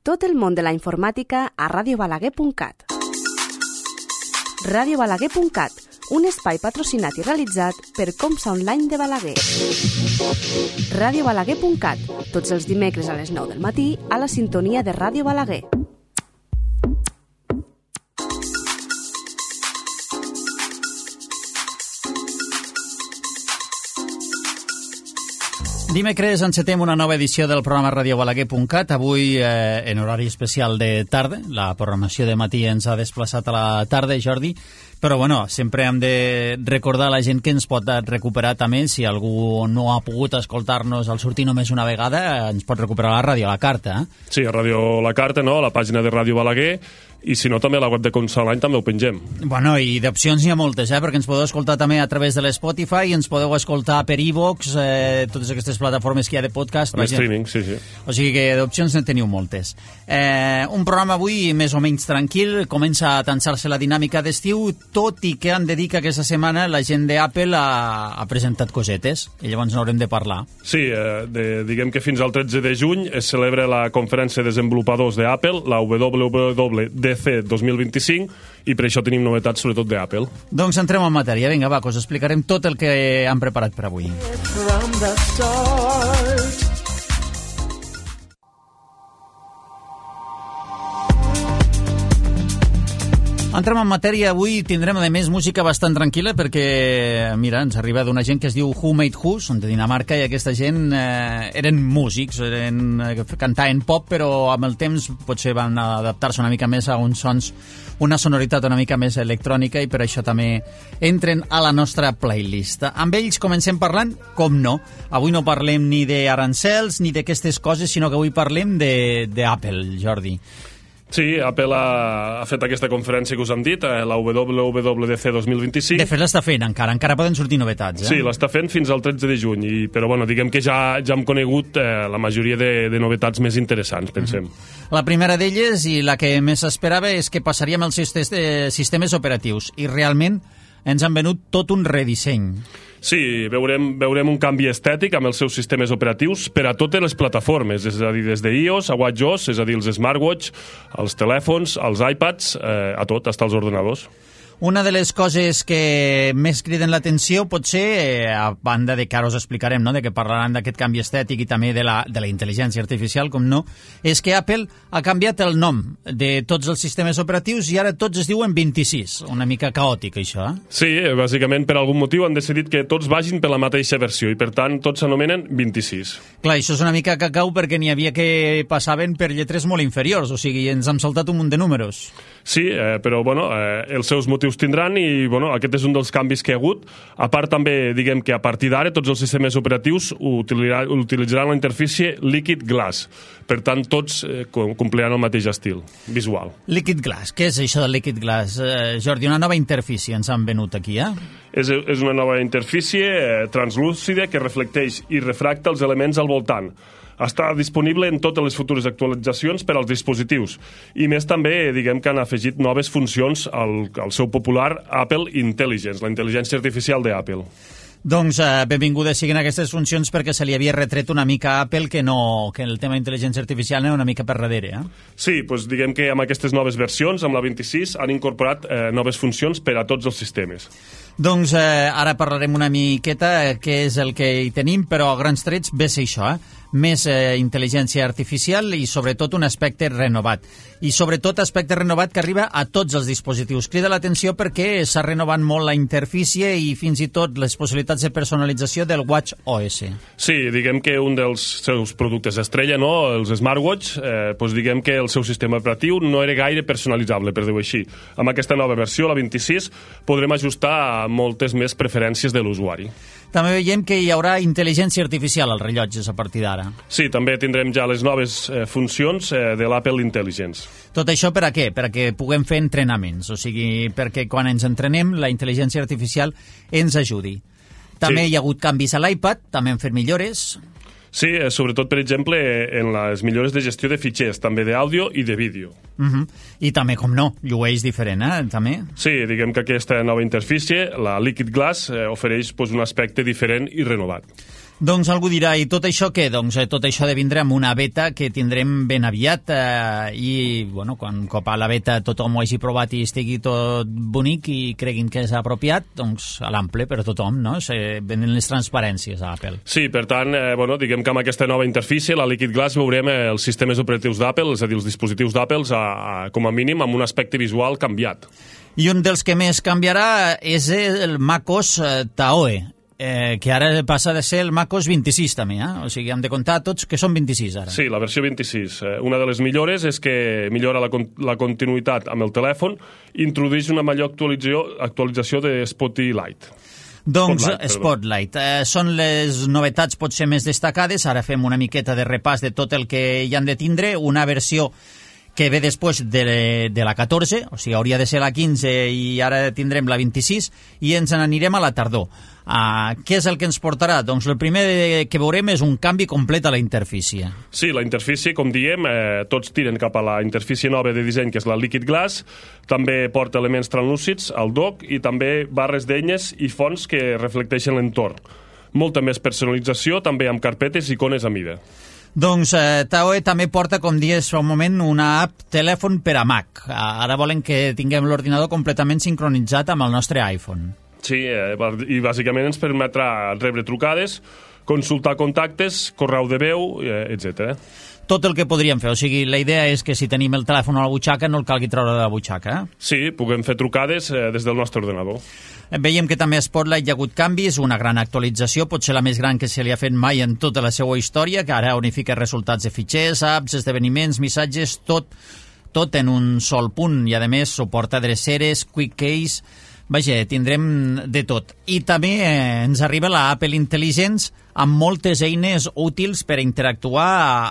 Tot el món de la informàtica a radiobalaguer.cat. Radiobalaguer.cat, un espai patrocinat i realitzat per Comsa Online de Balaguer. Radiobalaguer.cat, tots els dimecres a les 9 del matí a la sintonia de Ràdio Balaguer. Dimecres encetem una nova edició del programa radiobalaguer.cat, avui en horari especial de tarda. La programació de matí ens ha desplaçat a la tarda, Jordi, però bueno, sempre hem de recordar a la gent que ens pot recuperar també, si algú no ha pogut escoltar-nos al sortir només una vegada, ens pot recuperar a la ràdio, a la carta. Sí, a Ràdio La Carta, no? A la pàgina de Ràdio Balaguer, i si no també a la web de Comsa Online també ho pengem. Bueno, i d'opcions n'hi ha moltes, perquè ens podeu escoltar també a través de l'Spotify, ens podeu escoltar per iVoox, totes aquestes plataformes que hi ha de podcast. Per streaming, sí. O sigui que d'opcions en teniu moltes. Un programa avui més o menys tranquil, comença a tensar-se la dinàmica d'estiu, tot i que han de dir que aquesta setmana la gent d'Apple ha presentat cosetes, i llavors n'haurem de parlar. Sí, diguem que fins al 13 de juny es celebra la conferència de desenvolupadors d'Apple, la WWDC 2025, i per això tenim novetats sobretot d'Apple. Doncs entrem en matèria. Vinga, va, us explicarem tot el que han preparat per avui. Entrem en matèria. Avui tindrem, a més, música bastant tranquil·la perquè, mira, ens arriba d'una gent que es diu Who Made Who, són de Dinamarca, i aquesta gent eren músics, cantaven pop, però amb el temps potser van adaptar-se una mica més a uns sons, una sonoritat una mica més electrònica, i per això també entren a la nostra playlist. Amb ells comencem parlant, com no. Avui no parlem ni d'arancels ni d'aquestes coses, sinó que avui parlem d'Apple, Jordi. Sí, Apple ha fet aquesta conferència que us hem dit, la WWDC 2025. De fet, l'està fent encara poden sortir novetats. Sí, l'està fent fins al 13 de juny, però bueno, diguem que ja hem conegut la majoria de novetats més interessants, pensem. La primera d'elles, i la que més esperava, és que passaríem als sistemes operatius, i realment ens han venut tot un redisseny. Sí, veurem un canvi estètic amb els seus sistemes operatius per a totes les plataformes, és a dir, des d'iOS a WatchOS, és a dir, els smartwatch, els telèfons, els iPads, a tot, fins als ordenadors. Una de les coses que més criden l'atenció pot ser, a banda de que ara us explicarem, no?, de que parlaran d'aquest canvi estètic i també de la intel·ligència artificial, com no, és que Apple ha canviat el nom de tots els sistemes operatius i ara tots es diuen 26. Una mica caòtic, això, Sí, bàsicament per algun motiu han decidit que tots vagin per la mateixa versió i per tant tots s'anomenen 26. Clar, això és una mica cacau perquè n'hi havia que passaven per lletres molt inferiors, o sigui, ens hem saltat un munt de números. Sí, però bueno, els seus motius tindran i bueno, aquest és un dels canvis que hi ha hagut. A part també, diguem que a partir d'ara tots els sistemes operatius utilitzaran la interfície Liquid Glass. Per tant, tots compliran el mateix estil visual. Liquid Glass, què és això del Liquid Glass? Jordi, una nova interfície ens han venut aquí, És una nova interfície translúcida que reflecteix i refracta els elements al voltant. Està disponible en totes les futures actualitzacions per als dispositius. I més també, diguem que han afegit noves funcions al seu popular Apple Intelligence, la intel·ligència artificial d'Apple. Doncs benvingudes siguin aquestes funcions perquè se li havia retret una mica a Apple que el tema d'intel·ligència artificial anava una mica per darrere. Sí, doncs diguem que amb aquestes noves versions, amb la 26, han incorporat noves funcions per a tots els sistemes. Doncs ara parlarem una miqueta què és el que hi tenim, però a grans trets ve ser això, més intel·ligència artificial i sobretot un aspecte renovat. I sobretot aspecte renovat que arriba a tots els dispositius. Crida l'atenció perquè s'ha renovat molt la interfície i fins i tot les possibilitats de personalització del WatchOS. Sí, diguem que un dels seus productes estrella, no? Els smartwatch, doncs diguem que el seu sistema operatiu no era gaire personalitzable, per dir-ho així. Amb aquesta nova versió, la 26, podrem ajustar moltes més preferències de l'usuari. També veiem que hi haurà intel·ligència artificial als rellotges a partir d'ara. Sí, també tindrem ja les noves funcions de l'Apple Intelligence. Tot això per a què? Per a que puguem fer entrenaments, o sigui, perquè quan ens entrenem la intel·ligència artificial ens ajudi. També hi ha hagut canvis a l'iPad, també han fet millores. Sí, sobretot, per exemple, en les millores de gestió de fitxers, també d'àudio i de vídeo. I també, com no, llueix diferent, també? Sí, diguem que aquesta nova interfície, la Liquid Glass, ofereix un aspecte diferent i renovat. Doncs algú dirà, i tot això què? Doncs tot això de vindre amb una beta que tindrem ben aviat i, bueno, quan cop a la beta tothom ho hagi provat i estigui tot bonic i creguin que és apropiat, doncs a l'ample per a tothom, no? Venen les transparències a Apple. Sí, per tant, bueno, diguem que amb aquesta nova interfície, la Liquid Glass, veurem els sistemes operatius d'Apple, és a dir, els dispositius d'Apple, com a mínim amb un aspecte visual canviat. I un dels que més canviarà és el macOS Taoe, que ara passa de ser el macOS 26 també, O sigui, hem de comptar tots que són 26 ara. Sí, la versió 26. Una de les millores és que millora la continuïtat amb el telèfon i introdueix una major actualització de Spotlight. Doncs Spotlight. Són les novetats potser més destacades. Ara fem una miqueta de repàs de tot el que hi han de tindre. Una versió que ve després de la 14, o sigui, hauria de ser la 15 i ara tindrem la 26 i ens n'anirem a la tardor. Què és el que ens portarà? Doncs el primer que veurem és un canvi complet a la interfície. Sí, la interfície, com diem, tots tiren cap a la interfície nova de disseny, que és la Liquid Glass, també porta elements translúcids al dock i també barres d'eines i fonts que reflecteixen l'entorn. Molta més personalització, també amb carpetes i icones a mida. Doncs Taoe també porta, com dies fa un moment, una app telèfon per a Mac. Ara volen que tinguem l'ordinador completament sincronitzat amb el nostre iPhone. Sí, i bàsicament ens permetrà rebre trucades, consultar contactes, correu de veu, etc. Tot el que podríem fer, o sigui, la idea és que si tenim el telèfon a la butxaca no el calgui treure de la butxaca. Sí, puguem fer trucades des del nostre ordenador. Veiem que també a Spotlight hi ha hagut canvis, una gran actualització, potser la més gran que se li ha fet mai en tota la seva història, que ara unifica resultats de fitxers, apps, esdeveniments, missatges, tot en un sol punt, i a més suporta dreceres, quick case. Vaja, tindrem de tot. I també ens arriba la Apple Intelligence amb moltes eines útils per interactuar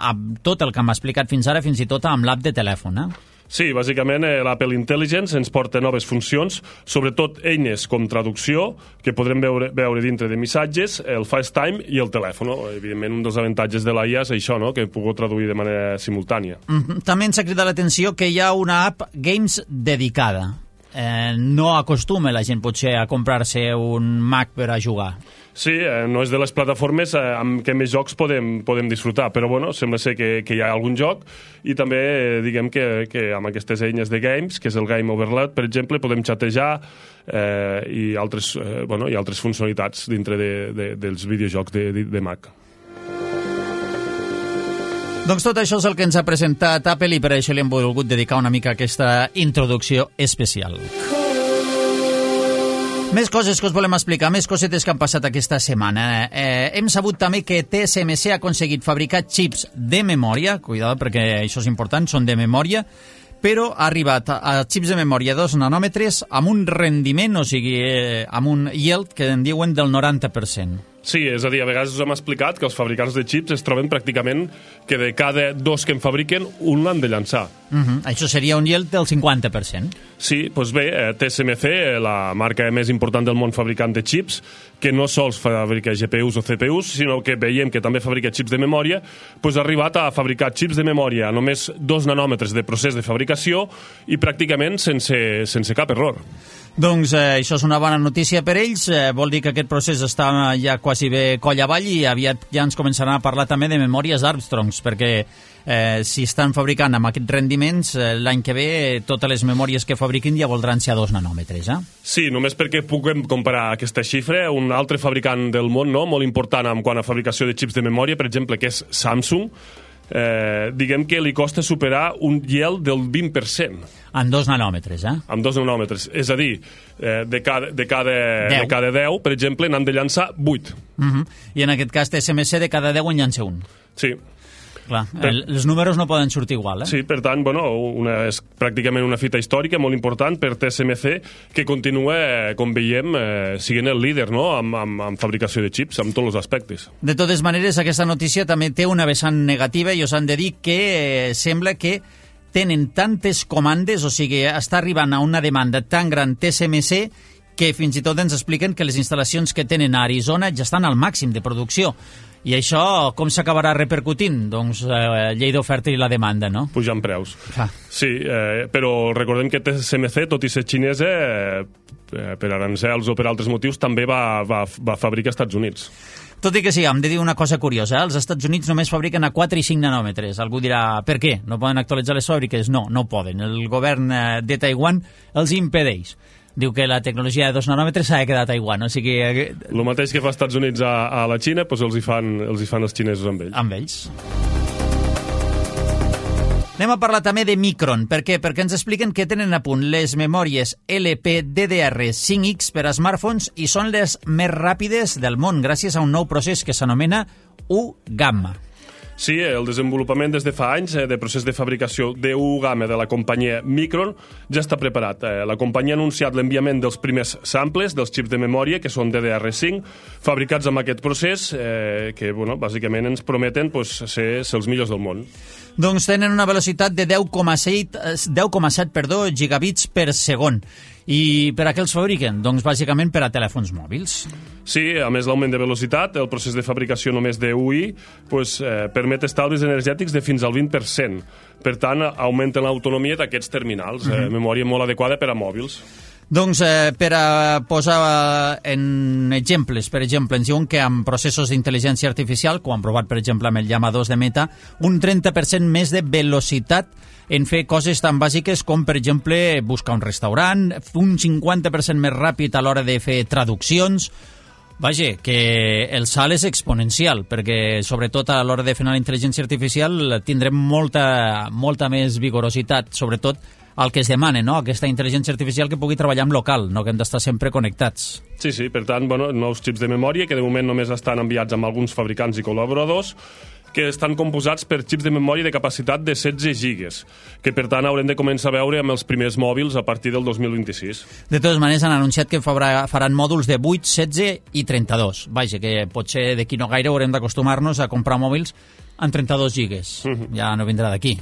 amb tot el que hem explicat fins ara, fins i tot amb l'app de telèfon. Sí, bàsicament l'Apple Intelligence ens porta noves funcions, sobretot eines com traducció, que podrem veure dintre de missatges, el FaceTime i el telèfon. Evidentment, un dels avantatges de l'IA és això, que puc traduir de manera simultània. També ens ha cridat l'atenció que hi ha una app Games dedicada. No acostuma la gent potser a comprar-se un Mac per a jugar. Sí, no és de les plataformes amb què més jocs podem disfrutar, però bueno, sembla ser que hi ha algun joc i també diguem que amb aquestes eines de games, que és el Game Overload, per exemple, podem xatejar i altres funcionalitats dintre dels videojocs de Mac. Doncs tot això és el que ens ha presentat Apple i per això li hem volgut dedicar una mica a aquesta introducció especial. Més coses que us volem explicar, més cosetes que han passat aquesta setmana. Hem sabut també que TSMC ha aconseguit fabricar xips de memòria, cuidado perquè això és important, són de memòria, però ha arribat a xips de memòria 2 nanòmetres amb un rendiment, o sigui, amb un yield que en diuen del 90%. Sí, és a dir, a vegades us hem explicat que els fabricants de xips es troben pràcticament que de cada 2 que en fabriquen, un l'han de llançar. Això seria un yield del 50%. Sí, doncs bé, TSMC, la marca més important del món fabricant de xips, que no sols fabrica GPUs o CPUs, sinó que veiem que també fabrica xips de memòria, doncs ha arribat a fabricar xips de memòria a només 2 nanòmetres de procés de fabricació i pràcticament sense cap error. Doncs això és una bona notícia per ells, vol dir que aquest procés està ja quasi bé coll avall i aviat ja ens començaran a parlar també de memòries Armstrongs, perquè si estan fabricant amb aquests rendiments, l'any que ve totes les memòries que fabriquin ja voldran ser a 2 nanòmetres. Sí, només perquè puguem comparar aquesta xifra, un altre fabricant del món molt important en quant a fabricació de xips de memòria, per exemple, que és Samsung, diguem que li costa superar un yield del 20%. En 2 nanòmetres, En 2 nanòmetres. És a dir, de cada 10, per exemple, n'han de llançar 8. I en aquest cas TSMC de cada 10 en llança un. Sí. Clar, els números no poden sortir igual, Sí, per tant, és pràcticament una fita històrica molt important per TSMC, que continua, com veiem, siguent el líder en fabricació de xips, en tots els aspectes. De totes maneres, aquesta notícia també té una vessant negativa i us han de dir que sembla que tenen tantes comandes, o sigui, està arribant a una demanda tan gran TSMC que fins i tot ens expliquen que les instal·lacions que tenen a Arizona ja estan al màxim de producció. I això com s'acabarà repercutint? Doncs llei d'oferta i la demanda, no? Pujant preus. Sí, però recordem que TSMC, tot i ser xinesa, per arancels o per altres motius, també va fabricar als Estats Units. Tot i que sí, hem de dir una cosa curiosa. Els Estats Units només fabriquen a 4 i 5 nanòmetres. Algú dirà, per què? No poden actualitzar les fàbriques? No, no poden. El govern de Taiwan els impedeix. Diu que la tecnologia de 2 nanòmetres s'ha de quedar a Taiwan. O sigui, el mateix que fa Estats Units a la Xina, doncs els hi fan els xinesos amb ells. Amb ells. Anem a parlar també de Micron. Per què? Perquè ens expliquen que tenen a punt les memòries LPDDR5X per a smartphones i són les més ràpides del món gràcies a un nou procés que s'anomena U-Gamma. Sí, el desenvolupament des de fa anys de procés de fabricació d'U-Gamma de la companyia Micron ja està preparat. La companyia ha anunciat l'enviament dels primers samples dels xips de memòria, que són DDR5, fabricats amb aquest procés, que bàsicament ens prometen ser els millors del món. Doncs tenen una velocitat de 10,7 gigabits per segon. I per a què els fabriquen? Doncs bàsicament per a telèfons mòbils. Sí, a més l'augment de velocitat, el procés de fabricació només d'UI permet estalvis energètics de fins al 20%. Per tant, augmenten l'autonomia d'aquests terminals, memòria molt adequada per a mòbils. Doncs per a posar en exemples, per exemple, ens diuen que amb processos d'intel·ligència artificial, com han provat per exemple amb el Llama 2 de Meta, un 30% més de velocitat en fer coses tan bàsiques com, per exemple, buscar un restaurant, un 50% més ràpid a l'hora de fer traduccions. Vaja, que el salt és exponencial, perquè sobretot a l'hora de fer la intel·ligència artificial tindrem molta més vigorositat, sobretot el que es demana, no? Aquesta intel·ligència artificial que pugui treballar en local, no que hem d'estar sempre connectats. Sí, per tant, nous xips de memòria que de moment només estan enviats amb alguns fabricants i col·laboradors, que estan composats per xips de memòria de capacitat de 16 gigas, que per tant haurem de començar a veure amb els primers mòbils a partir del 2026. De totes maneres han anunciat que faran mòduls de 8, 16 i 32. Vaja, que potser d'aquí no gaire haurem d'acostumar-nos a comprar mòbils amb 32 gigas. Ja no vindrà d'aquí.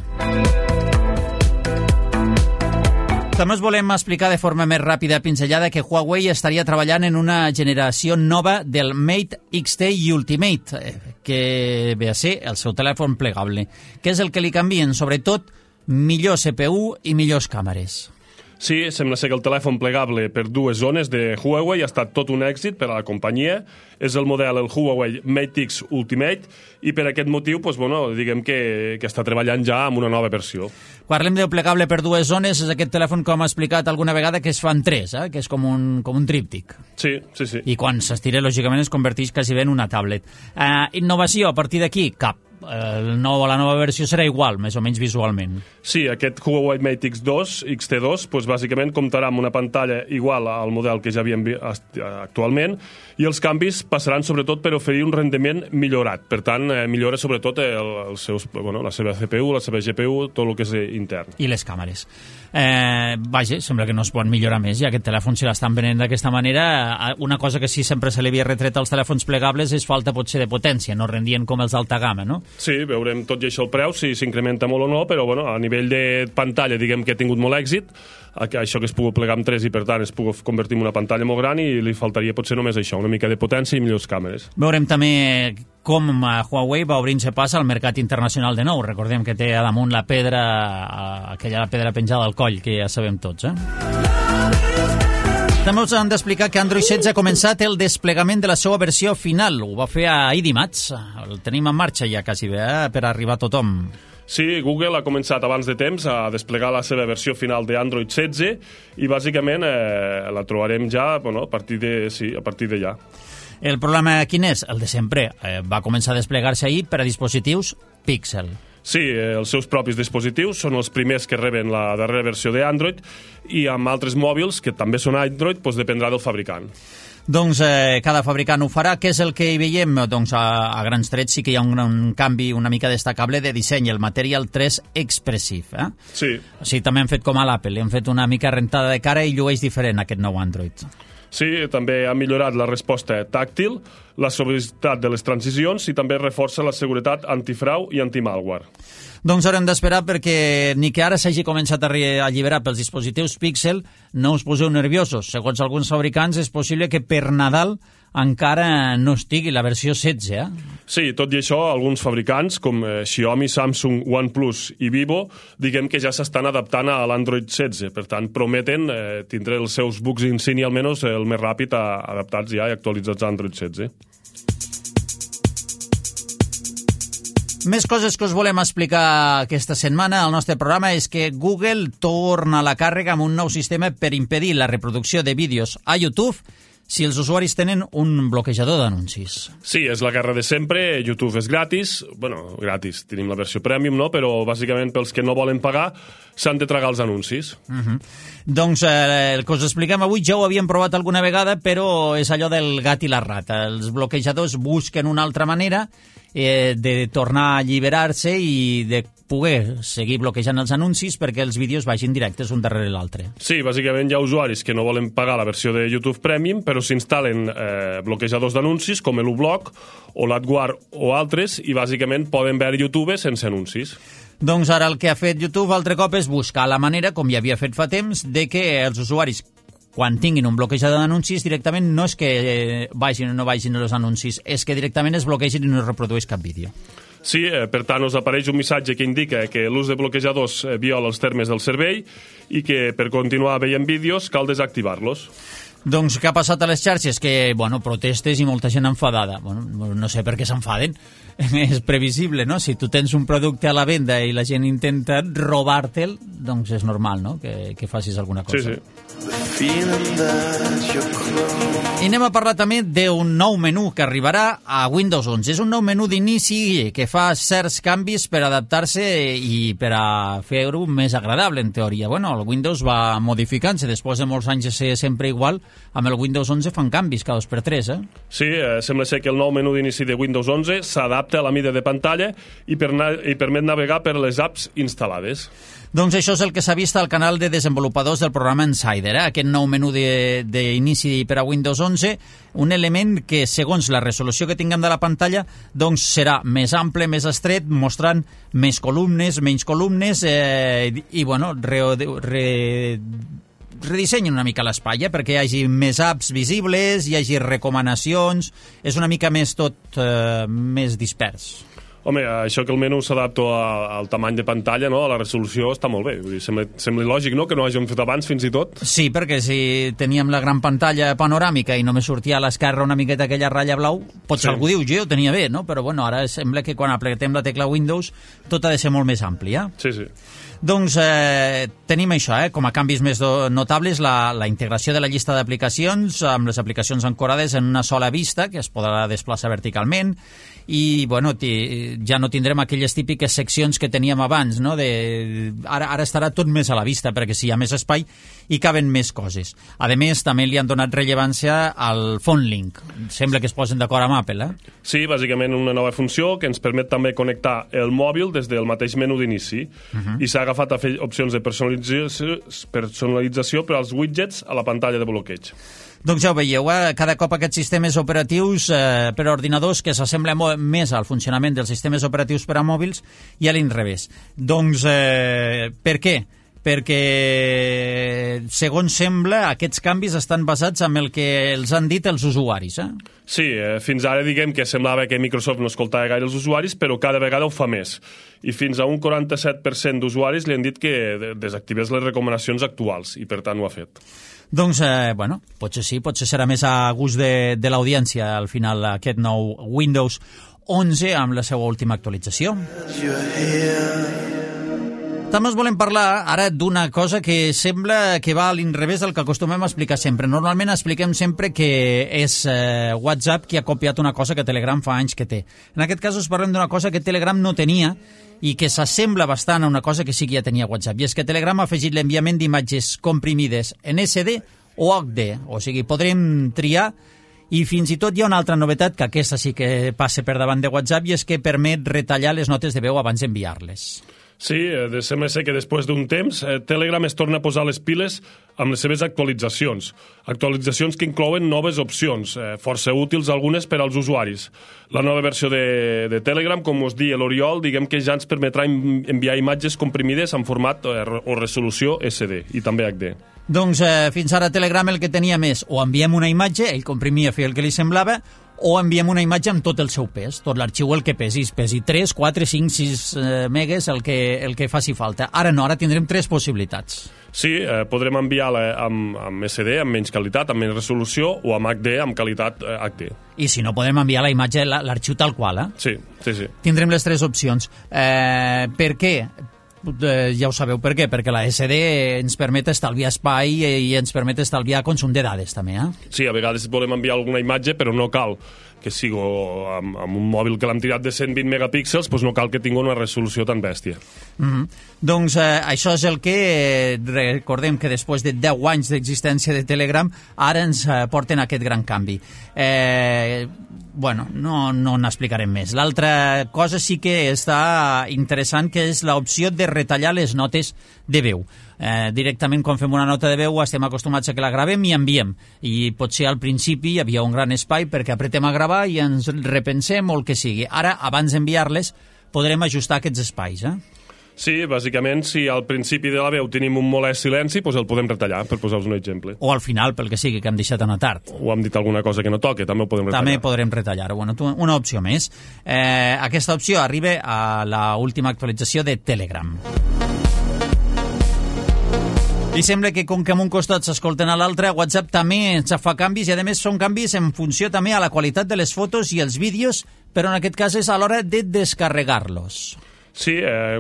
També us volem explicar de forma més ràpida i pinzellada que Huawei estaria treballant en una generació nova del Mate XT Ultimate, que ve a ser el seu telèfon plegable. Què és el que li canvien? Sobretot, millor CPU i millors càmeres. Sí, sembla ser que el telèfon plegable per dues zones de Huawei ha estat tot un èxit per a la companyia. És el model, el Huawei Mate X Ultimate, i per aquest motiu, diguem que està treballant ja amb una nova versió. Quan parlem de plegable per dues zones, és aquest telèfon, com ha explicat alguna vegada, que es fa en tres, que és com un tríptic. Sí. I quan s'estira, lògicament, es converteix quasi bé en una tablet. Innovació, a partir d'aquí, cap. La nova versió serà igual, més o menys visualment. Sí, aquest Huawei Mate X2, XT2, bàsicament comptarà amb una pantalla igual al model que ja havíem actualment, i els canvis passaran sobretot per oferir un rendiment millorat. Per tant, millora sobretot la seva CPU, la seva GPU, tot el que és intern. I les càmeres. Vaja, sembla que no es pot millorar més, ja aquest telèfon, si l'estan venent d'aquesta manera, una cosa que sí sempre se li havia retret als telèfons plegables és falta potser de potència, no rendien com els d'alta gamma, no? Sí, veurem tot i això el preu, si s'incrementa molt o no, però a nivell de pantalla diguem que ha tingut molt èxit, això que es pugui plegar amb 3 i per tant es pugui convertir en una pantalla molt gran, i li faltaria potser només això, una mica de potència i millors càmeres. Veurem també com Huawei va obrint-se pas al mercat internacional de nou. Recordem que té a damunt la pedra penjada al coll, que ja sabem tots, També us han d'explicar que Android 16 ha començat el desplegament de la seva versió final. Ho va fer ahir dimarts. El tenim en marxa ja quasi bé, per arribar a tothom. Sí, Google ha començat abans de temps a desplegar la seva versió final d'Android 16 i bàsicament la trobarem ja a partir de ja. El problema quin és? El de sempre. Va començar a desplegar-se ahir per a dispositius Pixel. Sí, els seus propis dispositius són els primers que reben la darrera versió d'Android, i amb altres mòbils, que també són Android, dependrà del fabricant. Doncs cada fabricant ho farà. Què és el que hi veiem? Doncs a grans trets sí que hi ha un canvi una mica destacable de disseny, el Material 3 Expressive. Sí. O sigui, també hem fet com a l'Apple, li hem fet una mica rentada de cara i llueix diferent aquest nou Android. Sí, també ha millorat la resposta tàctil, la suavitat de les transicions i també reforça la seguretat antifrau i antimalware. Doncs haurem d'esperar perquè ni que ara s'hagi començat a alliberar pels dispositius Pixel, no us poseu nerviosos. Segons alguns fabricants és possible que per Nadal encara no estigui la versió 16, Sí, tot i això, alguns fabricants, com Xiaomi, Samsung, OnePlus i Vivo, diguem que ja s'estan adaptant a l'Android 16. Per tant, prometen tindre els seus bugs insignia almenys el més ràpid adaptats ja i actualitzats a Android 16. Més coses que us volem explicar aquesta setmana al nostre programa és que Google torna a la càrrega amb un nou sistema per impedir la reproducció de vídeos a YouTube si els usuaris tenen un bloquejador d'anuncis. Sí, és la guerra de sempre. YouTube és gratis. Bueno, gratis. Tenim la versió premium, no? Però bàsicament pels que no volen pagar s'han de tragar els anuncis. Doncs el que us expliquem avui ja ho havíem provat alguna vegada, però és allò del gat i la rata. Els bloquejadors busquen una altra manera de tornar a alliberar-se i de poder seguir bloquejant els anuncis perquè els vídeos vagin directes un darrere l'altre. Sí, bàsicament hi ha usuaris que no volen pagar la versió de YouTube Premium, però s'instal·len bloquejadors d'anuncis com l'uBlock o l'AdGuard o altres i bàsicament poden veure YouTube sense anuncis. Doncs ara el que ha fet YouTube altre cop és buscar la manera, com ja havia fet fa temps, de que els usuaris quan tinguin un bloquejador d'anuncis, directament no és que vagin o no vagin els anuncis, és que directament es bloquegin i no es reprodueix cap vídeo. Sí, per tant, us apareix un missatge que indica que l'ús de bloquejadors viola els termes del servei i que per continuar veient vídeos cal desactivar-los. Doncs què ha passat a les xarxes? Que, protestes i molta gent enfadada. No sé per què s'enfaden. És previsible, no? Si tu tens un producte a la venda i la gent intenta robar-te'l, doncs és normal, no?, que facis alguna cosa. Sí. I anem a parlar també d'un nou menú que arribarà a Windows 11. És un nou menú d'inici que fa certs canvis per adaptar-se i per a fer-ho més agradable, en teoria. El Windows va modificant-se. Després de molts anys de ser sempre igual, amb el Windows 11 fan canvis cada 2x3, Sí, sembla ser que el nou menú d'inici de Windows 11 s'adapta a la mida de pantalla i permet navegar per les apps instal·lades. Doncs això és el que s'ha vist al canal de desenvolupadors del programa Insider, aquest nou menú d'inici per a Windows 11, un element que, segons la resolució que tinguem de la pantalla, doncs serà més ample, més estret, mostrant més columnes, menys columnes, i redissenyen una mica l'espai, perquè hi hagi més apps visibles, hi hagi recomanacions, és una mica més tot més dispers. Home, això que el menú s'adapta al tamany de pantalla, no?, a la resolució, està molt bé. Vull dir, sembla lògic, no?, que no hàgim fet abans fins i tot. Sí, perquè si teníem la gran pantalla panoràmica i només sortia a l'esquerra una miqueta aquella ratlla blau, potser algú diu, jo ho tenia bé, no? Però ara sembla que quan apretem la tecla Windows tot ha de ser molt més ampli, Sí, sí. Doncs tenim això, com a canvis més notables, la integració de la llista d'aplicacions amb les aplicacions ancorades en una sola vista, que es podrà desplaçar verticalment, i ja no tindrem aquelles típiques seccions que teníem abans, no? Ara estarà tot més a la vista, perquè si hi ha més espai hi caben més coses. A més, també li han donat rellevància al Phone Link. Sembla que es posen d'acord amb Apple, Sí, bàsicament una nova funció que ens permet també connectar el mòbil des del mateix menú d'inici i s'ha agafat a fer opcions de personalització per als widgets a la pantalla de bloqueig. Doncs ja ho veieu, cada cop aquests sistemes operatius per a ordinadors que s'assemblen més al funcionament dels sistemes operatius per a mòbils i a l'inrevés. Doncs per què? Perquè, segons sembla, aquests canvis estan basats en el que els han dit els usuaris. Sí, fins ara diguem que semblava que Microsoft no escoltava gaire els usuaris, però cada vegada ho fa més. I fins a un 47% d'usuaris li han dit que desactivés les recomanacions actuals, i per tant ho ha fet. Doncs, potser sí, potser serà més a gust de l'audiència, al final, aquest nou Windows 11 amb la seva última actualització. També us volem parlar ara d'una cosa que sembla que va a l'inrevés del que acostumem a explicar sempre. Normalment expliquem sempre que és WhatsApp qui ha copiat una cosa que Telegram fa anys que té. En aquest cas us parlem d'una cosa que Telegram no tenia i que s'assembla bastant a una cosa que sí que ja tenia WhatsApp. I és que Telegram ha afegit l'enviament d'imatges comprimides en SD o HD. O sigui, podrem triar. I fins i tot hi ha una altra novetat, que aquesta sí que passa per davant de WhatsApp, i és que permet retallar les notes de veu abans d'enviar-les. Sí, sembla ser que després d'un temps Telegram es torna a posar les piles amb les seves actualitzacions. Actualitzacions que inclouen noves opcions, força útils algunes per als usuaris. La nova versió de Telegram, com us dia l'Oriol, diguem que ja ens permetrà enviar imatges comprimides en format o resolució SD i també HD. Doncs fins ara Telegram el que tenia més, o enviem una imatge, ell comprimia, feia el que li semblava, o enviem una imatge amb tot el seu pes, tot l'arxiu el que pesi 3, 4, 5, 6 megues, el que faci falta. Ara no, ara tindrem 3 possibilitats. Sí, podrem enviar-la amb SD, amb menys qualitat, amb menys resolució, o amb HD, amb qualitat HD. I si no, podem enviar la imatge, l'arxiu tal qual, Sí. Tindrem les 3 opcions. Per què? Ja ho sabeu per què, perquè la SD ens permet estalviar espai i ens permet estalviar consum de dades també, Sí, a vegades volem enviar alguna imatge, però no cal que sigui amb un mòbil que l'hem tirat de 120 megapíxels, doncs no cal que tingui una resolució tan bèstia. Doncs això és el que recordem que després de 10 anys d'existència de Telegram ara ens porten aquest gran canvi. Bueno, no n'explicarem més. L'altra cosa sí que està interessant, que és l'opció de retallar les notes de veu. Directament quan fem una nota de veu estem acostumats a que la gravem i enviem, i potser al principi hi havia un gran espai perquè apretem a gravar i ens repensem o el que sigui. Ara, abans d'enviar-les, podrem ajustar aquests espais, Sí, bàsicament, si al principi de la veu tenim un molest silenci, doncs el podem retallar, per posar-vos un exemple. O al final, pel que sigui, que hem deixat anar tard. O hem dit alguna cosa que no toque, també ho podem retallar. També podrem retallar. Bueno, una opció més. Aquesta opció arriba a l'última actualització de Telegram. I sembla que com que en un costat s'escolten a l'altre, WhatsApp també ens fa canvis, i a més són canvis en funció també a la qualitat de les fotos i els vídeos, però en aquest cas és a l'hora de descarregar-los. Sí,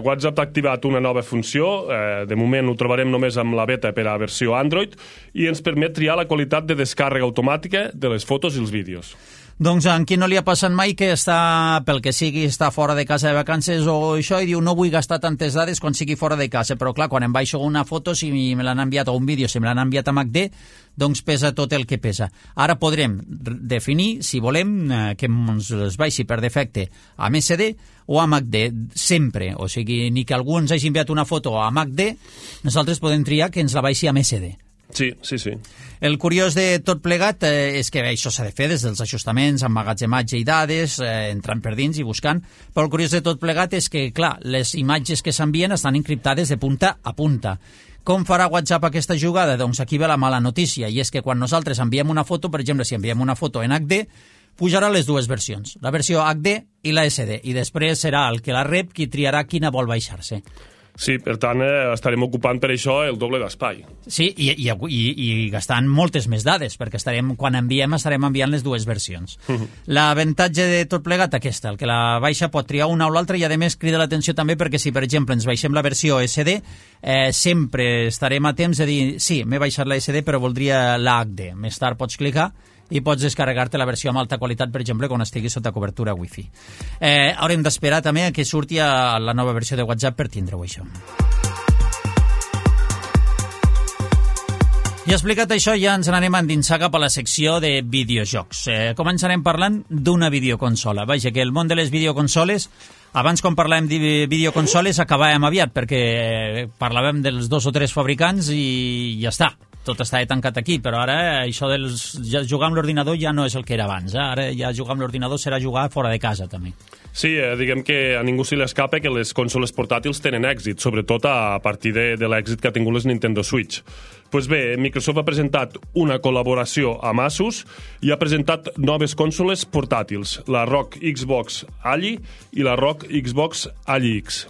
WhatsApp ha activat una nova funció, de moment ho trobarem només amb la beta per a versió Android, i ens permet triar la qualitat de descàrrega automàtica de les fotos i els vídeos. Doncs en qui no li ha passat mai que està, pel que sigui, està fora de casa de vacances o això, i diu no vull gastar tantes dades quan sigui fora de casa, però clar, quan em baixo una foto, si me l'han enviat, o un vídeo, si me l'han enviat amb HD, doncs pesa tot el que pesa. Ara podrem definir, si volem, que ens les baixi per defecte amb SD o amb HD, sempre. O sigui, ni que algú ens hagi enviat una foto amb HD, nosaltres podem triar que ens la baixi amb SD. Sí. El curiós de tot plegat és que això s'ha de fer des dels ajustaments, emmagatzematge i dades, entrant per dins i buscant, però el curiós de tot plegat és que, clar, les imatges que s'envien estan encriptades de punta a punta. Com farà WhatsApp aquesta jugada? Doncs aquí ve la mala notícia, i és que quan nosaltres enviem una foto, per exemple, si enviem una foto en HD, pujarà les dues versions, la versió HD i la SD, i després serà el que la rep qui triarà quina vol baixar-se. Sí, per tant, estarem ocupant per això el doble d'espai. Sí, i gastant moltes més dades, perquè quan enviem estarem enviant les dues versions. L'avantatge de tot plegat aquesta, el que la baixa pot triar una o l'altra, i a més crida l'atenció també perquè si, per exemple, ens baixem la versió SD, sempre estarem a temps de dir sí, m'he baixat la SD però voldria la HD. Més tard pots clicar i pots descarregar-te la versió amb alta qualitat, per exemple, quan estigui sota cobertura Wi-Fi. Haurem d'esperar també que surti a la nova versió de WhatsApp per tindre-ho, això. I explicat això, ja ens n'anem a endinsar cap a la secció de videojocs. Començarem parlant d'una videoconsola. Vaja, que el món de les videoconsoles, abans quan parlàvem de videoconsoles acabàvem aviat, perquè parlàvem dels 2 o 3 fabricants i ja està. Tot estava tancat aquí, però ara això de jugar amb l'ordinador ja no és el que era abans. Ara ja jugar amb l'ordinador serà jugar fora de casa, també. Sí, diguem que a ningú se li escapa que les consoles portàtils tenen èxit, sobretot a partir de l'èxit que ha tingut les Nintendo Switch. Doncs bé, Microsoft ha presentat una col·laboració amb Asus i ha presentat noves consoles portàtils, la ROG Xbox Ali i la ROG Xbox Ali X.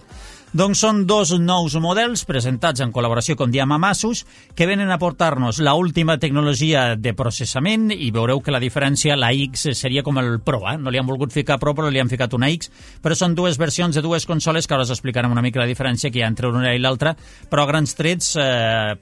Doncs són 2 nous models presentats en col·laboració, com diem, amb Asus, que venen a portar-nos la última tecnologia de processament, i veureu que la diferència, la X seria com el Pro, no li han volgut ficar Pro, però li han ficat una X, però són 2 versions de 2 consoles que ara us explicarem una mica la diferència que hi ha entre una i l'altra, però a grans trets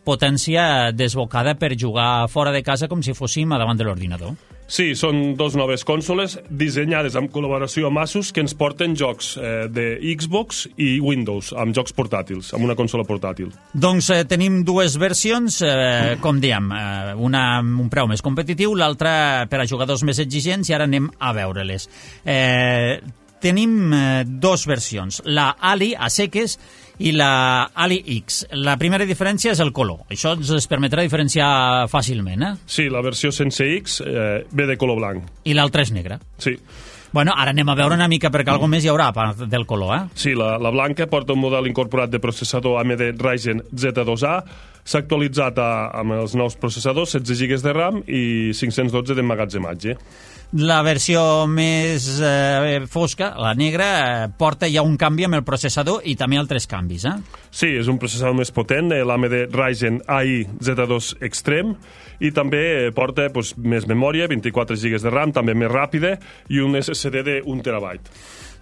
potència desbocada per jugar fora de casa com si fóssim a davant de l'ordinador. Sí, són 2 noves consoles dissenyades en col·laboració amb Asus que ens porten jocs de Xbox i Windows, amb jocs portàtils, amb una consola portàtil. Doncs tenim 2 versions, com diem, una amb un preu més competitiu, l'altra per a jugadors més exigents, i ara anem a veure-les. Tenim 2 versions, la Ali a seques i la Ali X. La primera diferència és el color. Això ens permetrà diferenciar fàcilment, Sí, la versió sense X ve de color blanc. I l'altra és negra. Sí. Bueno, ara anem a veure una mica perquè alguna més hi haurà a part del color, eh? Sí, la blanca porta un model incorporat de processador AMD Ryzen Z2A, s'ha actualitzat amb els nous processadors, 16 GB de RAM i 512 d'emmagatzematge. La versió més fosca, la negra, porta ja un canvi amb el processador i també altres canvis, eh? Sí, és un processador més potent, l'AMD Ryzen AI Z2 Extreme, i també porta més memòria, 24 GB de RAM, també més ràpida, i un SSD de 1 TB.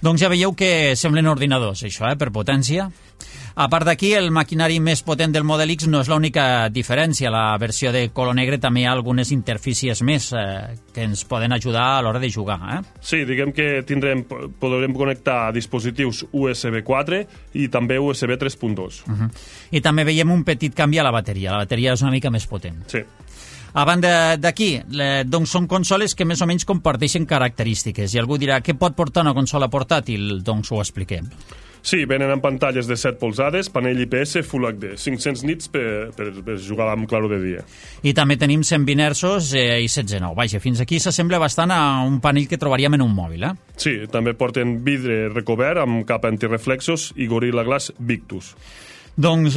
Doncs ja veieu que semblen ordinadors, això, per potència. A part d'aquí, el maquinari més potent del Model X no és l'única diferència. La versió de color negre també hi ha algunes interfícies més que ens poden ajudar a l'hora de jugar, eh? Sí, diguem que podrem connectar dispositius USB 4 i també USB 3.2. I també veiem un petit canvi a la bateria. La bateria és una mica més potent. Sí. A banda d'aquí, doncs són consoles que més o menys comparteixen característiques. I algú dirà, què pot portar una consola portàtil? Doncs ho expliquem. Sí, venen amb pantalles de 7 polzades, panell IPS Full HD, 500 nits per jugar amb claror de dia. I també tenim 120 Hz i 16:9. Vaja, fins aquí s'assembla bastant a un panell que trobaríem en un mòbil, eh? Sí, també porten vidre recobert amb capa antireflexos i Gorilla Glass Victus. Doncs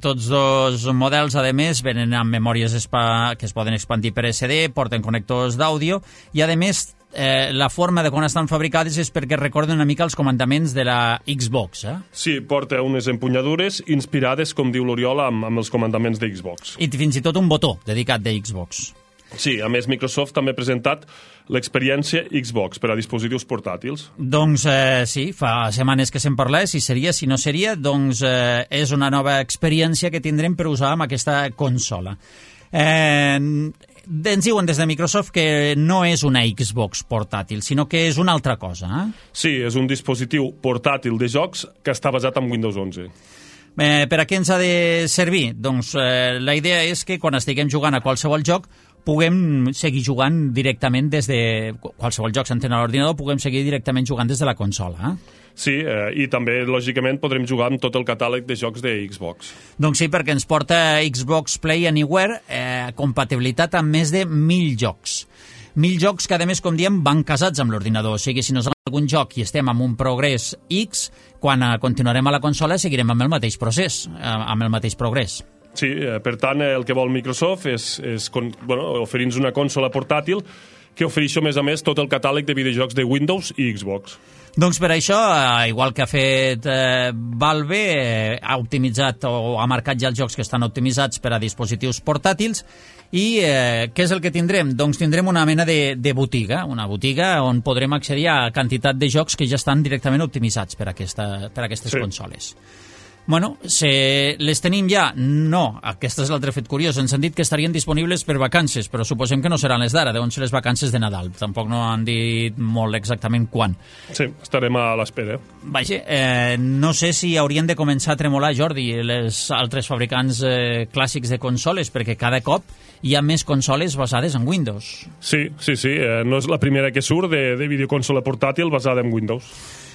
tots dos models, a més, venen amb memòries que es poden expandir per SD, porten connectors d'àudio i, a més, la forma de quan estan fabricades és perquè recorden una mica els comandaments de la Xbox, eh? Sí, porta unes empunyadures inspirades, com diu l'Oriol, amb els comandaments de Xbox. I fins i tot un botó dedicat de Xbox. Sí, a més, Microsoft també ha presentat l'experiència Xbox per a dispositius portàtils. Doncs sí, fa setmanes que se'n parla, si seria, si no seria, doncs és una nova experiència que tindrem per usar amb aquesta consola. Ens diuen des de Microsoft que no és una Xbox portàtil, sinó que és una altra cosa, eh? Sí, és un dispositiu portàtil de jocs que està basat en Windows 11. Per a què ens ha de servir? Doncs la idea és que quan estiguem jugant a qualsevol joc puguem seguir jugant directament des de... Qualsevol joc s'entén a l'ordinador, puguem seguir directament jugant des de la consola, eh? Sí, i també, lògicament, podrem jugar amb tot el catàleg de jocs de Xbox. Doncs sí, perquè ens porta Xbox Play Anywhere compatibilitat amb més de 1.000 jocs. 1.000 jocs que, a més, com diem, van casats amb l'ordinador. O sigui, si nos algun joc i estem amb un progrés X, quan continuarem a la consola seguirem amb el mateix procés, amb el mateix progrés. Sí, per tant, el que vol Microsoft és oferir-nos una consola portàtil que ofereix, a més, tot el catàleg de videojocs de Windows i Xbox. Doncs per això, igual que ha fet Valve, ha optimitzat o ha marcat ja els jocs que estan optimitzats per a dispositius portàtils. I què és el que tindrem? Doncs tindrem una mena de botiga, una botiga on podrem accedir a quantitat de jocs que ja estan directament optimitzats per a aquestes consoles. Bueno, les tenim ja? No, aquest és l'altre fet curiós. Ens han dit que estarien disponibles per vacances, però suposem que no seran les d'ara, deuen ser les vacances de Nadal. Tampoc no han dit molt exactament quan. Sí, estarem a l'espera. Vaja, no sé si haurien de començar a tremolar, Jordi, les altres fabricants clàssics de consoles, perquè cada cop hi ha més consoles basades en Windows. Sí, no és la primera que surt de videoconsola portàtil basada en Windows.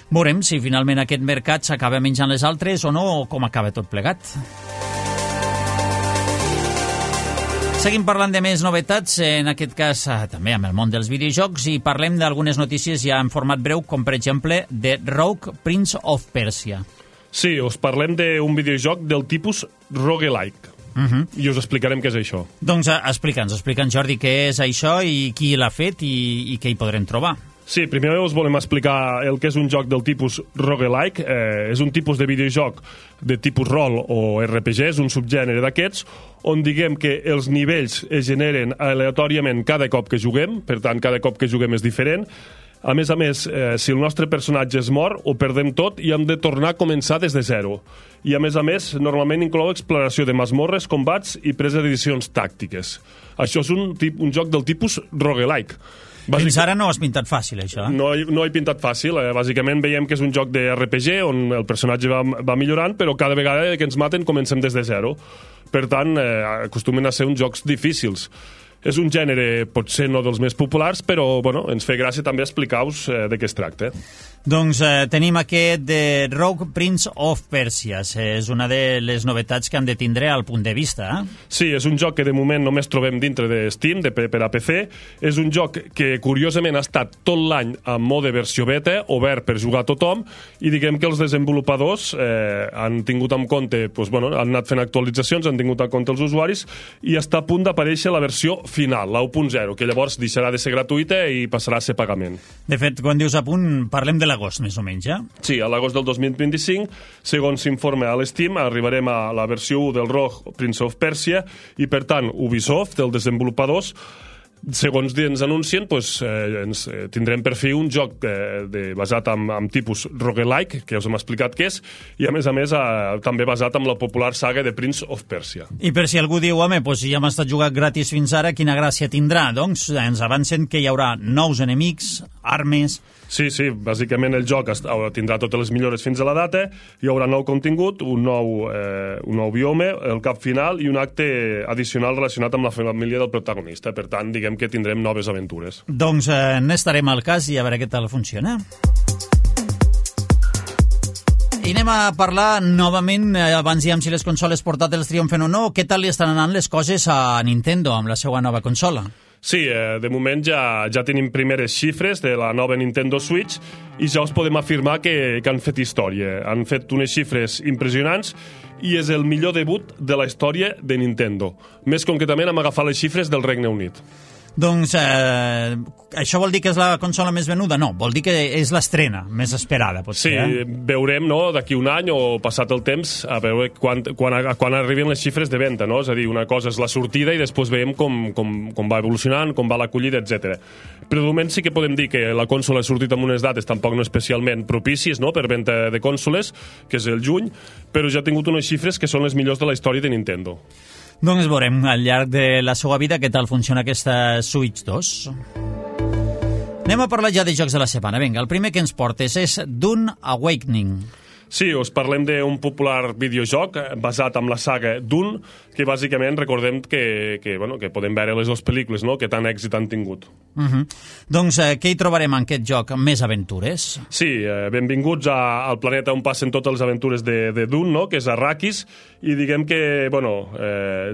Veurem si finalment aquest mercat s'acaba menjant les altres o no, o com acaba tot plegat. Seguim parlant de més novetats, en aquest cas també amb el món dels videojocs, i parlem d'algunes notícies ja en format breu, com per exemple de Rogue Prince of Persia. Sí, us parlem d'un videojoc del tipus roguelike. I us explicarem què és això. Doncs explica'ns, Jordi, què és això i qui l'ha fet i què hi podrem trobar. Sí, primer us volem explicar el que és un joc del tipus roguelike. És un tipus de videojoc de tipus rol o RPG, és un subgènere d'aquests, on diguem que els nivells es generen aleatòriament cada cop que juguem, per tant, cada cop que juguem és diferent. A més, si el nostre personatge es mor, ho perdem tot i hem de tornar a començar des de zero. I, a més, normalment inclou exploració de masmorres, combats i presa de decisions tàctiques. Això és un joc del tipus roguelike. Fins ara no ho has pintat fàcil, això. No ho he pintat fàcil. Bàsicament veiem que és un joc de RPG on el personatge va millorant, però cada vegada que ens maten comencem des de zero. Per tant, acostumen a ser uns jocs difícils. És un gènere potser no dels més populars, però bueno, ens fa gràcia també explicar-vos de què es tracta. Doncs tenim aquest de Rogue Prince of Persia. És una de les novetats que hem de tindre al punt de vista. Sí, és un joc que de moment només trobem dintre de Steam, per a PC. És un joc que curiosament ha estat tot l'any en mode versió beta, obert per jugar a tothom, i diguem que els desenvolupadors han tingut en compte, doncs, bueno, han anat fent actualitzacions, han tingut en compte els usuaris, i està a punt d'aparèixer la versió final, la 1.0, que llavors deixarà de ser gratuïta i passarà a ser pagament. De fet, quan dius a punt, parlem de l'agost, més o menys, ja? Sí, a l'agost del 2025, segons s'informa a l'Steam, arribarem a la versió 1 del Rogue Prince of Persia, i per tant, Ubisoft, els desenvolupadors, segons ens anuncien, ens tindrem per fi un joc basat en tipus roguelike, que us hem explicat què és, i a més també basat en la popular saga de Prince of Persia. I per si algú diu, home, ja hem estat jugat gratis fins ara, quina gràcia tindrà? Doncs ens avancen que hi haurà nous enemics, armes... Sí, bàsicament el joc tindrà totes les millores fins a la data, hi haurà nou contingut, un nou biome, el cap final i un acte addicional relacionat amb la família del protagonista. Per tant, diguem que tindrem noves aventures. Doncs n'estarem al cas i a veure què tal funciona. I anem a parlar novament, abans diem si les consoles portàtils triomfen o no, què tal li estan anant les coses a Nintendo amb la seva nova consola? Sí, de moment ja tenim primeres xifres de la nova Nintendo Switch i ja us podem afirmar que han fet història. Han fet unes xifres impressionants i és el millor debut de la història de Nintendo. Més concretament hem agafat les xifres del Regne Unit. Doncs això vol dir que és la consola més venuda? No, vol dir que és l'estrena més esperada, potser. Sí, veurem, no?, d'aquí un any o passat el temps, a veure quan arriben les xifres de venda, no? És a dir, una cosa és la sortida i després veiem com va evolucionant, com va l'acollida, etc. Però de moment sí que podem dir que la consola ha sortit amb unes dates tampoc no especialment propícies, no?, per venda de consoles, que és el juny, però ja ha tingut unes xifres que són les millors de la història de Nintendo. Doncs veurem al llarg de la seva vida què tal funciona aquesta Switch 2. Anem a parlar ja de jocs de la setmana. Vinga, el primer que ens portes és Dune Awakening. Sí, us parlem d'un popular videojoc basat en la saga Dune, que bàsicament recordem que podem veure les dues pel·lícules, no?, que tant èxit han tingut. Doncs què hi trobarem en aquest joc? Més aventures? Sí, benvinguts al planeta on passen totes les aventures de Dune, no?, que és Arrakis, i diguem que,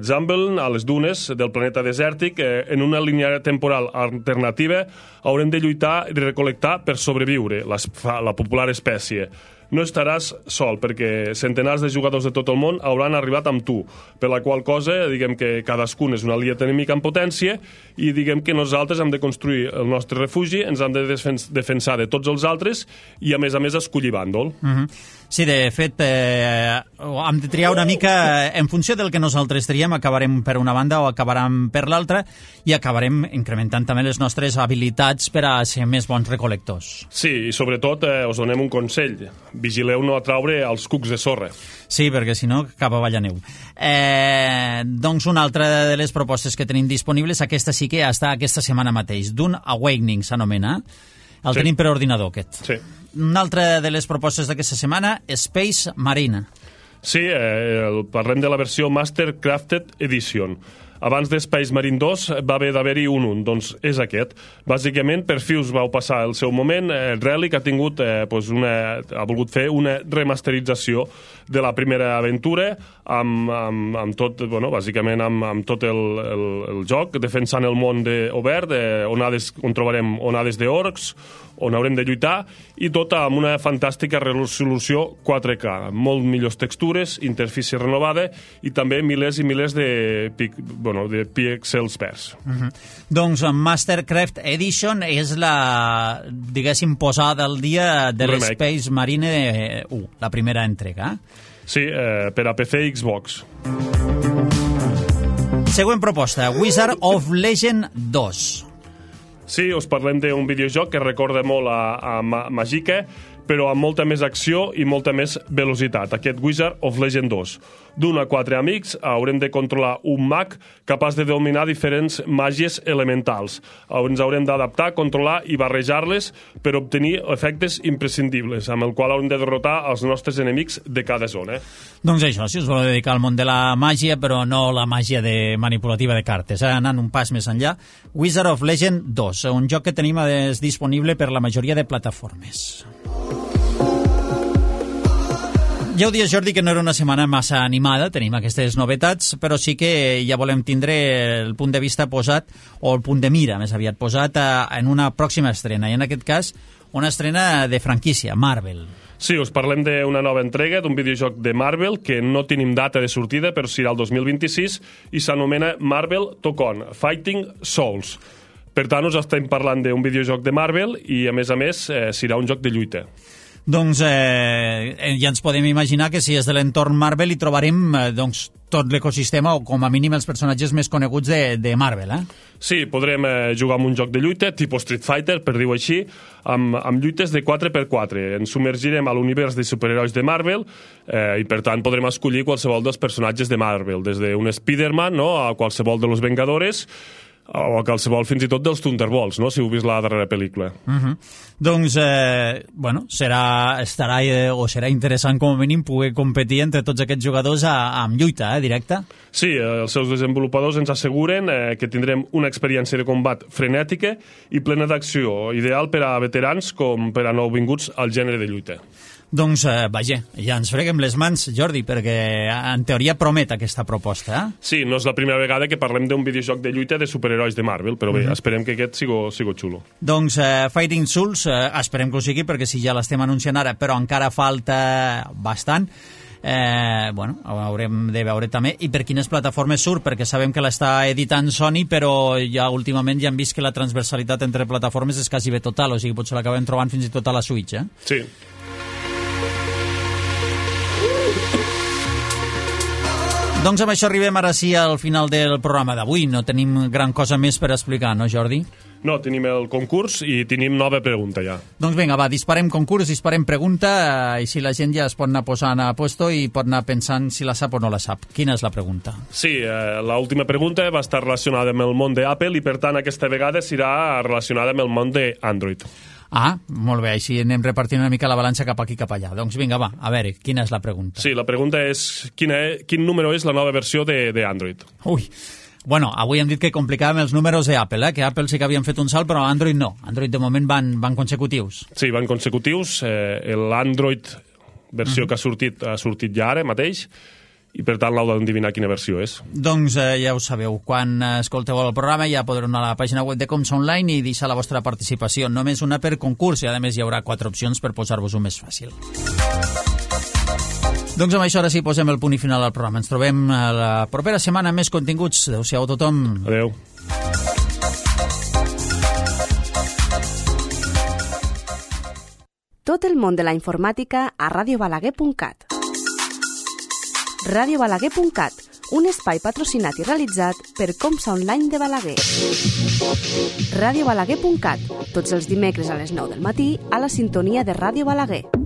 Zambeln, a les dunes del planeta desèrtic, en una línia temporal alternativa, haurem de lluitar i recol·lectar per sobreviure, la popular espècie. No estaràs sol, perquè centenars de jugadors de tot el món hauran arribat amb tu, per la qual cosa, diguem que cadascun és una aliat enemic en potència i diguem que nosaltres hem de construir el nostre refugi, ens hem de defensar de tots els altres i, a més, escollir bàndol. Sí, de fet, hem de triar una mica en funció del que nosaltres triem, acabarem per una banda o acabarem per l'altra i acabarem incrementant també les nostres habilitats per a ser més bons recolectors. Sí, i sobretot us donem un consell. Vigileu no atraure els cucs de sorra. Sí, perquè si no, cap avall aneu. Doncs una altra de les propostes que tenim disponibles, aquesta sí que està aquesta setmana mateix. Dune Awakening s'anomena. El tenim per ordinador, aquest. Sí. Una altra de les propostes d'aquesta setmana, Space Marine. Sí, parlem de la versió Master Crafted Edition. Abans d'Space Marine 2 va haver d'haver-hi un, doncs és aquest. Bàsicament, per fi us vau passar el seu moment. Relic ha tingut, ha volgut fer una remasterització de la primera aventura amb tot, bàsicament amb tot el joc, defensant el món obert, on trobarem onades d'orcs, on haurem de lluitar, i tot amb una fantàstica resolució 4K, molt millors textures, interfície renovada i també milers i milers de píxels verds. Doncs Mastercraft Edition és la, diguéssim, posada al dia de l'Space Marine 1, la primera entrega. Sí, per a PC i Xbox. Següent proposta, Wizard of Legend 2. Sí, us parlem d'un videojoc que recorda molt a Magica, però amb molta més acció i molta més velocitat. Aquest Wizard of Legend 2. D'1 a 4 amics haurem de controlar un mag capaç de dominar diferents màgies elementals. Ens haurem d'adaptar, controlar i barrejar-les per obtenir efectes imprescindibles, amb el qual haurem de derrotar els nostres enemics de cada zona. Doncs això, si us voleu dedicar al món de la màgia, però no la màgia manipulativa de cartes, anant un pas més enllà. Wizard of Legend 2, un joc que tenim disponible per la majoria de plataformes. Ja ho dies, Jordi, que no era una setmana massa animada, tenim aquestes novetats, però sí que ja volem tindre el punt de vista posat, o el punt de mira, més aviat, posat en una pròxima estrena, i en aquest cas una estrena de franquícia, Marvel. Sí, us parlem d'una nova entrega d'un videojoc de Marvel que no tenim data de sortida, però serà el 2026, i s'anomena Marvel Tokon, Fighting Souls. Per tant, us estem parlant d'un videojoc de Marvel i, a més, serà un joc de lluita. Doncs ja ens podem imaginar que si és de l'entorn Marvel hi trobarem tot l'ecosistema o com a mínim els personatges més coneguts de Marvel, Sí, podrem jugar amb un joc de lluita, tipus Street Fighter, per dir-ho així, amb lluites de 4x4. Ens submergirem a l'univers de superherois de Marvel i, per tant, podrem escollir qualsevol dels personatges de Marvel, des d'un Spider-Man, no?, a qualsevol de los Vengadores, o a qualsevol fins i tot dels Thunderbolts, no?, si heu vist la darrera pel·lícula. Doncs, serà interessant com a mínim poder competir entre tots aquests jugadors amb lluita, directa? Sí, els seus desenvolupadors ens asseguren que tindrem una experiència de combat frenètica i plena d'acció, ideal per a veterans com per a nouvinguts al gènere de lluita. Doncs, vaja, ja ens freguem les mans, Jordi, perquè en teoria promet aquesta proposta, Sí, no és la primera vegada que parlem d'un videojoc de lluita de superherois de Marvel, però bé, esperem que aquest sigo xulo. Doncs Fighting Souls, esperem que ho sigui, perquè si ja l'estem anunciant ara, però encara falta bastant, haurem de veure també i per quines plataformes surt, perquè sabem que l'està editant Sony, però ja últimament ja hem vist que la transversalitat entre plataformes és quasi bé total, o sigui, potser l'acabem trobant fins i tot a la Switch, Sí. Doncs amb això arribem ara sí al final del programa d'avui. No tenim gran cosa més per explicar, no, Jordi? No, tenim el concurs i tenim nova pregunta ja. Doncs vinga, va, disparem concurs, disparem pregunta, i si la gent ja es pot anar posant a puesto i pot anar pensant si la sap o no la sap. Quina és la pregunta? Sí, l'última pregunta va estar relacionada amb el món d'Apple i, per tant, aquesta vegada serà relacionada amb el món d'Android. Ah, molt bé, així anem repartint una mica la balança cap aquí cap allà. Doncs vinga, va, a veure, quina és la pregunta? Sí, la pregunta és quin número és la nova versió d'Android? Ui, bueno, avui hem dit que complicàvem els números d'Apple, que Apple sí que havien fet un salt, però Android no. Android de moment van consecutius. Sí, van consecutius. L'Android versió que ha sortit ja ara mateix, i per tant l'heu d'endevinar quina versió és. Doncs ja ho sabeu, quan escolteu el programa ja podreu anar a la pàgina web de Comsa Online i deixar la vostra participació. Només una per concurs i a més hi haurà 4 opcions per posar-vos-ho més fàcil. Doncs amb això ara sí posem el punt i final al programa. Ens trobem la propera setmana amb més continguts. Adéu-siau a tothom. Adéu. Tot el món de la informàtica a radiobalaguer.cat. radiobalaguer.cat, un espai patrocinat i realitzat per Comsa Online de Balaguer. radiobalaguer.cat, tots els dimecres a les 9 del matí a la sintonia de Ràdio Balaguer.